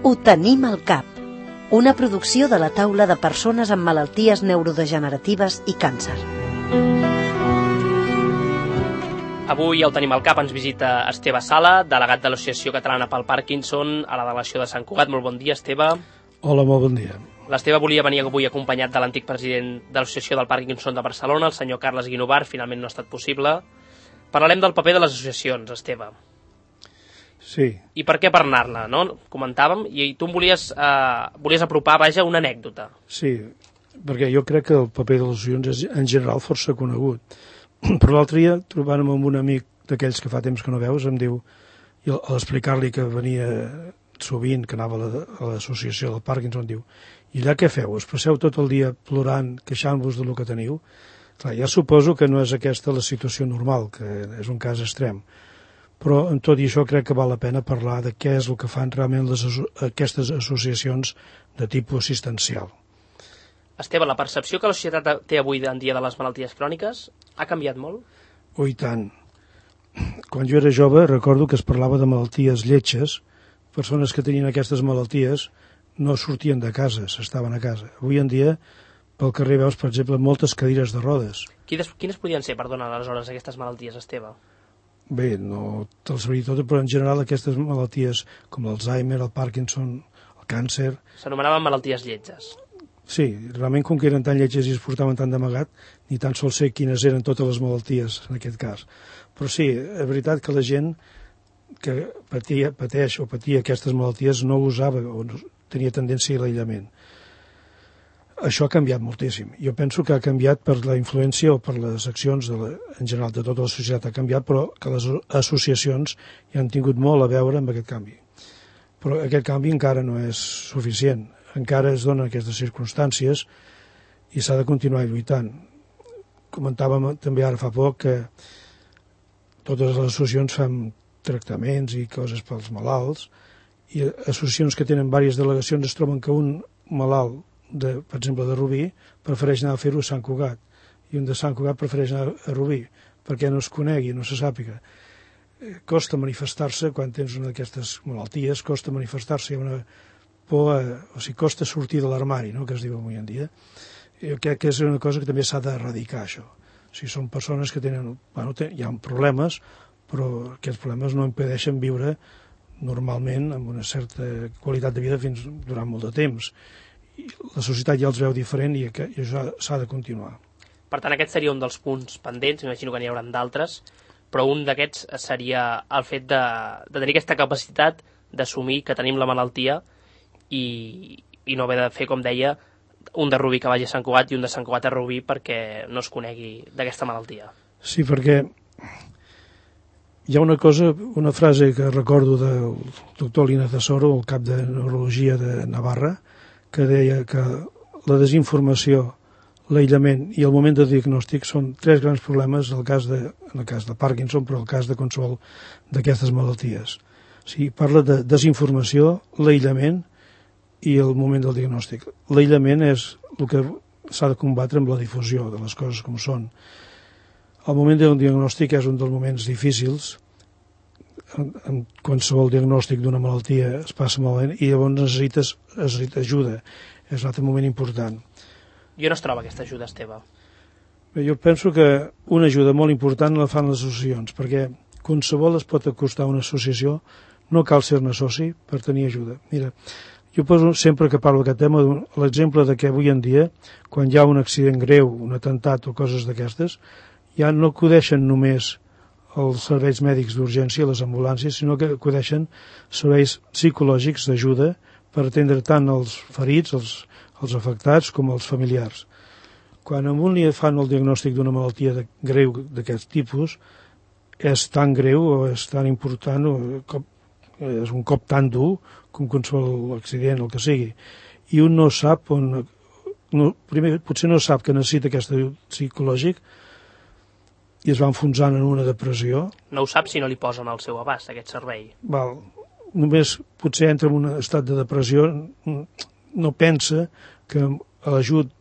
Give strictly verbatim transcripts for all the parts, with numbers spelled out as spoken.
Ho tenim al cap. Una producció de la taula de persones amb malalties neurodegeneratives i càncer. Avui al Tenim al Cap ens visita Esteve Sala, delegat de l'Associació Catalana pel Parkinson a la delegació de Sant Cugat. Molt bon dia, Esteve. Hola, molt bon dia. L'Esteve volia venir avui acompanyat de l'antic president de l'Associació del Parkinson de Barcelona, el senyor Carles Guinovar. Finalment no ha estat possible. Parlarem del paper de les associacions, Esteve. Sí. I per què parlar-ne, no? Comentàvem, i tu em volies, eh, volies apropar, vaja, una anècdota. Sí, perquè jo crec que el paper de les associacions és en general força conegut. Però l'altre dia, trobant-me amb un amic d'aquells que fa temps que no veus, em diu, i a l'explicar-li que venia sovint, que anava a l'associació del Parkinson, em diu, i allà què feu? Us passeu tot el dia plorant, queixant-vos del que teniu? Clar, ja suposo que no és aquesta la situació normal, que és un cas extrem. Però en tot i això crec que val la pena parlar de què és el que fan realment les, aquestes associacions de tipus assistencial. Esteve, la percepció que la societat té avui en dia de les malalties cròniques ha canviat molt? Oh, i tant. Quan jo era jove recordo que es parlava de malalties lletges. Persones que tenien aquestes malalties no sortien de casa, s'estaven a casa. Avui en dia, pel carrer veus, per exemple, moltes cadires de rodes. Quines, quines podrien ser, perdona, aleshores, aquestes malalties, Esteve? Bé, no te'ls sabria tot, però en general aquestes malalties com l'Alzheimer, el Parkinson, el càncer... S'anomenaven malalties lletges. Sí, realment com que eren tan lletges i es portaven tan d'amagat, ni tan sols sé quines eren totes les malalties en aquest cas. Però sí, és veritat que la gent que patia, pateix o patia aquestes malalties no usava o no, tenia tendència a l'aïllament. Això ha canviat moltíssim. Jo penso que ha canviat per la influència o per les accions de la, en general de tota la societat ha canviat, però que les associacions hi han tingut molt a veure amb aquest canvi. Però aquest canvi encara no és suficient. Encara es donen aquestes circumstàncies i s'ha de continuar lluitant. Comentàvem també ara fa poc que totes les associacions fan tractaments i coses pels malalts i associacions que tenen diverses delegacions es troben que un malalt, de, per exemple de Rubí, prefereix anar a fer-ho a Sant Cugat i un de Sant Cugat prefereix anar a Rubí perquè no es conegui, no se sàpiga. Costa manifestar-se quan tens una d'aquestes malalties, costa manifestar-se, hi ha una por, o sigui, costa sortir de l'armari, no?, que es diu avui en dia. Jo crec que és una cosa que també s'ha d'erradicar, això. O sigui, són persones que tenen, bueno, hi ha problemes, però aquests problemes no impedeixen viure normalment amb una certa qualitat de vida fins durant molt de temps. I la societat ja els veu diferent i això s'ha de continuar. Per tant, aquest seria un dels punts pendents, m'imagino que n'hi haurà d'altres, però un d'aquests seria el fet de, de tenir aquesta capacitat d'assumir que tenim la malaltia i, i no haver de fer, com deia, un de Rubí que vagi a Sant Cugat i un de Sant Cugat a Rubí perquè no es conegui d'aquesta malaltia. Sí, perquè hi ha una cosa, una frase que recordo del doctor Lina Tesoro, el cap de neurologia de Navarra, que deia que la desinformació, l'aïllament i el moment de diagnòstic són tres grans problemes en el cas de, en el cas de Parkinson, però en el cas de qualsevol d'aquestes malalties. O sigui, parla de desinformació, l'aïllament i el moment del diagnòstic. L'aïllament és el que s'ha de combatre amb la difusió de les coses com són. El moment del diagnòstic és un dels moments difícils. En, en qualsevol diagnòstic d'una malaltia es passa malament i llavors necessites, necessites ajuda. És un altre moment important. I on es troba aquesta ajuda, Esteve? Bé, jo penso que una ajuda molt important la fan les associacions, perquè qualsevol es pot acostar a una associació, no cal ser-ne soci per tenir ajuda. Mira, jo poso sempre que parlo d'aquest tema l'exemple de que avui en dia, quan hi ha un accident greu, un atemptat o coses d'aquestes, ja no acudeixen només els serveis mèdics d'urgència, les ambulàncies, sinó que acudeixen serveis psicològics d'ajuda per atendre tant els ferits, els, els afectats, com els familiars. Quan a un li fan el diagnòstic d'una malaltia de, greu d'aquest tipus, és tan greu o és tan important, o cop, és un cop tan dur com qualsevol accident, el que sigui. I un no sap on... No, primer, potser no sap que necessita aquest psicològic i es va enfonsant en una depressió. No ho sap si no li posen al seu abast, aquest servei. Val. Només potser entra en un estat de depressió, no pensa que l'ajut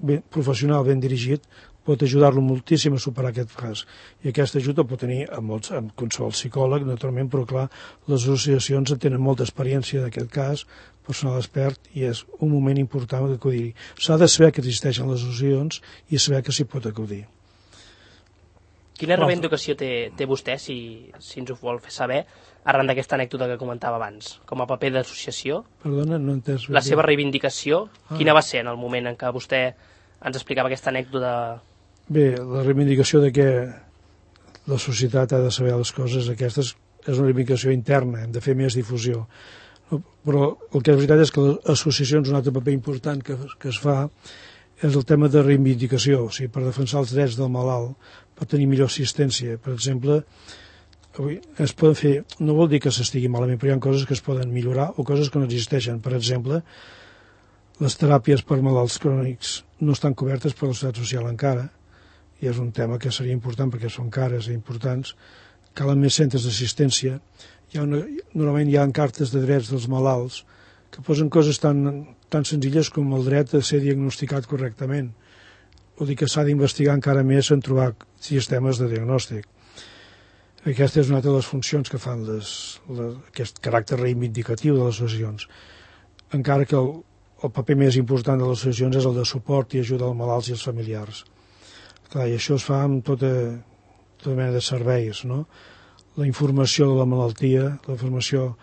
ben, professional ben dirigit pot ajudar-lo moltíssim a superar aquest fracàs. I aquesta ajuda pot tenir amb, molts, amb qualsevol psicòleg, naturalment, però clar, les associacions tenen molta experiència d'aquest cas, personal expert, i és un moment important d'acudir. S'ha de saber que existeixen les associacions i saber que s'hi pot acudir. Quina reivindicació té, té vostè, si, si ens ho vol fer saber, arran d'aquesta anècdota que comentava abans, com a paper d'associació? Perdona, no he entès. La seva reivindicació, ah. quina va ser en el moment en què vostè ens explicava aquesta anècdota? Bé, la reivindicació de que la societat ha de saber les coses aquestes és una reivindicació interna, hem de fer més difusió. Però el que és veritat és que les associacions, un altre paper important que, que es fa és el tema de reivindicació, o sigui, per defensar els drets del malalt, per tenir millor assistència. Per exemple, avui es poden fer, no vol dir que s'estigui malament, però hi ha coses que es poden millorar o coses que no existeixen. Per exemple, les teràpies per malalts crònics no estan cobertes per la Seguretat Social encara, i és un tema que seria important perquè són cares i importants. Calen més centres d'assistència. Hi ha una, normalment hi ha cartes de drets dels malalts que posen coses tan, tan senzilles com el dret a ser diagnosticat correctament. Vol dir que s'ha d'investigar encara més en trobar sistemes de diagnòstic. Aquesta és una altra de les funcions que fan les, les, aquest caràcter reivindicatiu de les associacions. Encara que el, el paper més important de les associacions és el de suport i ajuda als malalts i als familiars. Clar, i això es fa amb tota, tota mena de serveis, no? La informació de la malaltia, la informació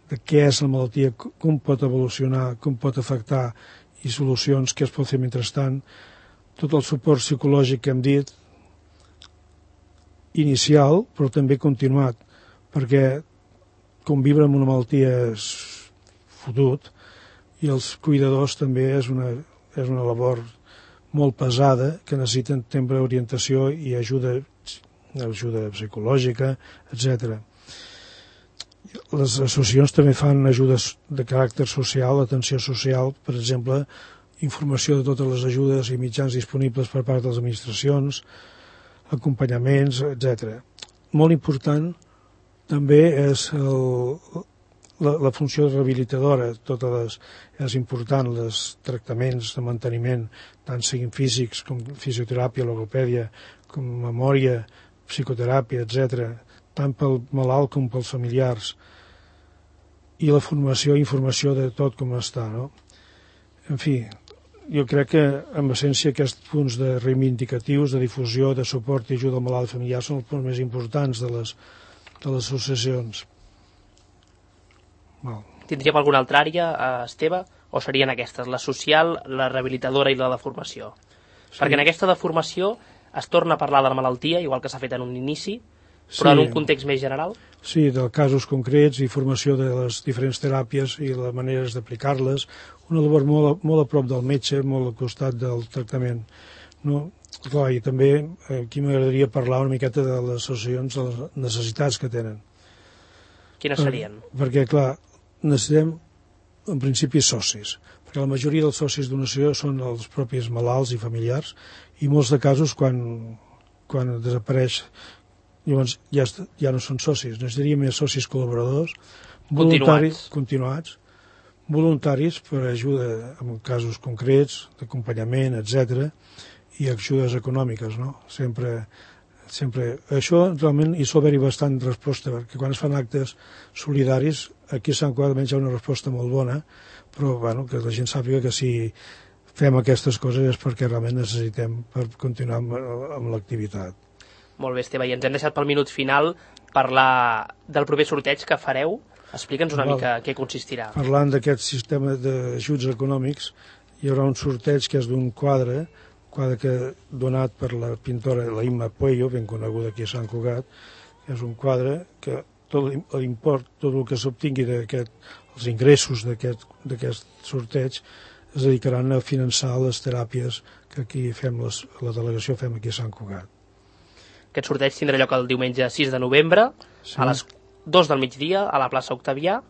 de què és la malaltia, com pot evolucionar, com pot afectar i solucions que es pot fer mentrestant, tot el suport psicològic que hem dit, inicial, però també continuat, perquè conviure amb una malaltia és fotut i els cuidadors també és una, és una labor molt pesada que necessiten sempre orientació i ajuda, ajuda psicològica, etcètera. Les associacions també fan ajudes de caràcter social, atenció social, per exemple, informació de totes les ajudes i mitjans disponibles per part de les administracions, acompanyaments, etcètera. Molt important també és el, la, la funció rehabilitadora, totes les, és important, els tractaments de manteniment, tant siguin físics com fisioteràpia, logopèdia, com memòria, psicoteràpia, etcètera, tant pel malalt com pels familiars, i la formació i informació de tot com està, no? En fi, jo crec que, en essència, aquests punts de reivindicatius, de difusió, de suport i ajuda al malalt familiar són els punts més importants de les, de les associacions. Val. Tindríem alguna altra àrea, Esteve, o serien aquestes, la social, la rehabilitadora i la de formació? Sí. Perquè en aquesta de formació es torna a parlar de la malaltia, igual que s'ha fet en un inici, però sí, en un context més general? Sí, de casos concrets i formació de les diferents teràpies i les maneres d'aplicar-les, una labor molt, molt a prop del metge, molt al costat del tractament. No? Clar, i també aquí m'agradaria parlar una miqueta de les associacions, de les necessitats que tenen. Quines serien? Per, perquè, clar, necessitem, en principi, socis, perquè la majoria dels socis d'una associació són els propis malalts i familiars, i molts de casos, quan, quan desapareix, llavors ja, ja no són socis, necessitaríem més socis col·laboradors, voluntaris, continuats, voluntaris per ajuda en casos concrets, d'acompanyament, etcètera, i ajudes econòmiques, no? Sempre, sempre... Això realment hi sol haver-hi bastant resposta, perquè quan es fan actes solidaris, aquí a Sant Cugat almenys hi ha una resposta molt bona, però bueno, que la gent sàpiga que si fem aquestes coses és perquè realment necessitem per continuar amb, amb l'activitat. Molt bé, Esteve, i ens hem deixat pel minut final parlar del proper sorteig que fareu. Explica'ns una Val. mica què consistirà. Parlant d'aquest sistema d'ajuts econòmics, hi haurà un sorteig que és d'un quadre, un quadre que donat per la pintora la Imma Puello, ben coneguda aquí a Sant Cugat, que és un quadre que tot l'import, tot el que s'obtingui d'aquest, els ingressos d'aquest sorteig es dedicaran a finançar les teràpies que aquí fem, les, la delegació fem aquí a Sant Cugat. Aquest sorteig tindrà lloc el diumenge sis de novembre, sí, a les dos del migdia, a la plaça Octavià.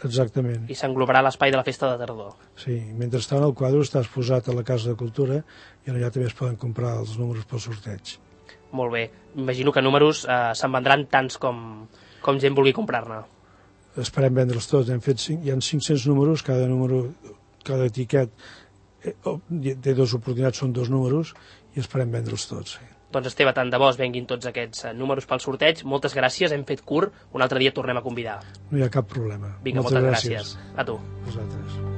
Exactament. I s'englobarà l'espai de la festa de tardor. Sí, mentrestant el quadre està exposat a la Casa de Cultura i allà també es poden comprar els números pel sorteig. Molt bé. Imagino que números eh, se'n vendran tants com, com gent vulgui comprar-ne. Esperem vendre'ls tots. Hem fet cinc, hi ha cinc-cents números, cada número, cada etiquet té dues oportunitats, són dos números, i esperem vendre'ls tots. Sí. Doncs Esteve, tant de bo es venguin tots aquests números pel sorteig. Moltes gràcies, hem fet curt, un altre dia tornem a convidar. No hi ha cap problema. Vinga, moltes, moltes gràcies. gràcies. A tu. Vosaltres.